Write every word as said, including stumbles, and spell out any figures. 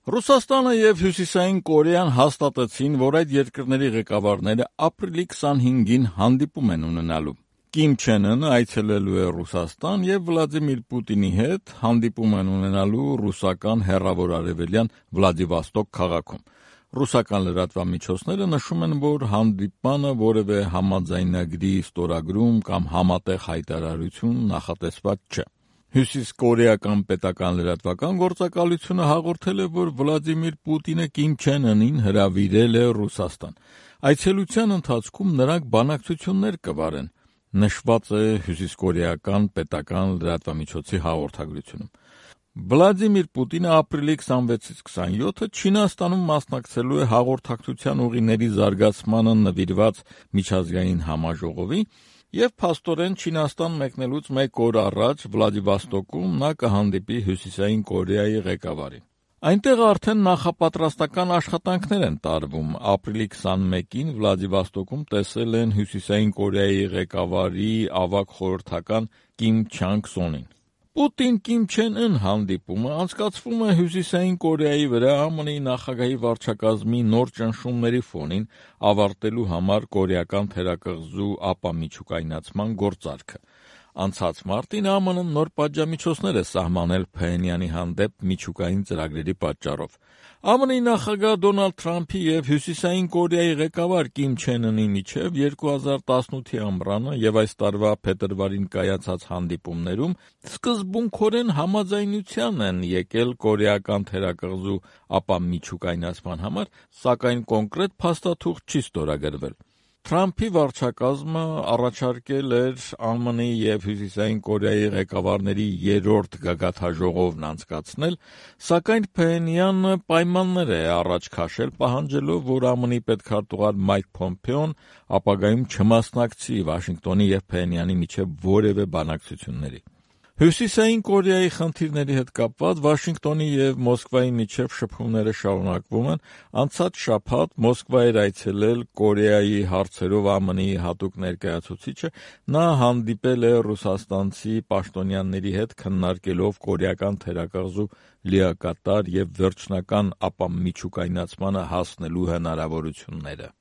Ռուսաստանը եւ Հյուսիսային Կորեան հաստատեցին, որ այդ երկրների ղեկավարները ապրիլի քսանհինգին հանդիպում են ունենալու։ Կիմ Չեն Ընը այցելելու է Ռուսաստան եւ Վլադիմիր Պուտինի հետ հանդիպում են ունենալու ռուսական հեռավոր արևելյան Վլադիվոստոկ քաղաքում։ Ռուսական լրատվամիջոցները նշում են, որ հանդիպանը որևէ համաձայնագրի ստորագրում կամ համատեղ հայտարարություն նախատեսված չէ։ Հյուսիսկորեական պետական լրատվական գործակալությունը հաղորդել է, որ Վլադիմիր Պուտինը Կիմ Չեն Ընին հրավիրել է Ռուսաստան։ Այցելության ընթացքում նրանք բանակցություններ կվարեն, նշված է հյուսիսկորեական պետական լրատվամիջոցի հաղորդագրությունում։ Վլադիմիր Պուտինը ապրիլի քսանվեցից քսանյոթը Չինաստանում մասնակցելու է հաղորդակցության ուղիների զարգացմանը նվիրված միջազգային համաժողովի եւ փաստորեն Չինաստան մեկնելուց մեկ օր առաջ Վլադիվոստոկում նա կհանդիպի Հյուսիսային Կորեայի ղեկավարին։ Այնտեղ արդեն նախապատրաստական աշխատանքներ են տարվում։ Ապրիլի քսանմեկին Վլադիվոստոկում տեսել են Հյուսիսային Կորեայի ղեկավարի ավագ խորհրդական Կիմ Չանգ Սոնին։ Պուտին-Կիմ Չեն Ըն հանդիպումը անցկացվում է Հյուսիսային Կորեայի վրա ԱՄՆ-ի նախագահի վարչակազմի նոր ճնշումների ֆոնին ավարտելու համար կորեական թերակղզու ապամիջուկայնացման գործարքը։ Անցած մարտին ԱՄՆ-ն նոր պատժամիջոցներ է սահմանել Փհենյանի հանդեպ միջուկային ծրագրերի պատճառով։ ԱՄՆ-ի նախագահ Դոնալդ Թրամփի եւ Հյուսիսային Կորեայի ղեկավար Կիմ Չեն Ընի միջև երկու հազար տասնութի ամռանը եւ այս տարվա փետրվարին կայացած հանդիպումներում սկզբունքորեն համաձայնության են եկել կորեական թերակղզու ապամիջուկայնացման համար, սակայն կոնկրետ փաստաթուղթ չի ստորագրվել։ Թրամփի վարչակազմը առաջարկել էր ԱՄՆ-ի եւ Հյուսիսային Կորեայի ղեկավարների երրորդ գագաթնաժողովն անցկացնել, սակայն Փհենյանը պայմաններ է առաջ քաշել, պահանջելով, որ ԱՄՆ-ի պետքարտուղար Մայք Փոմփեոն ապագայում չմասնակցի Վաշինգտոնի եւ Փհենյանի միջև որևէ բանակցությունների։ Հյուսիսային Կորեայի խնդիրների հետ կապված Վաշինգտոնի եւ Մոսկվայի միջև շփումները շարունակվում են։ Անցած շաբաթ Մոսկվա էր այցելել Կորեայի հարցերով ԱՄՆ-ի հատուկ ներկայացուցիչը, նա հանդիպել է ռուսաստանցի պաշտոնյաների հետ, քննարկելով կորեական թերակղզու լիակատար եւ վերջնական ապամիջուկայնացմանը հասնելու հնարավորությունները։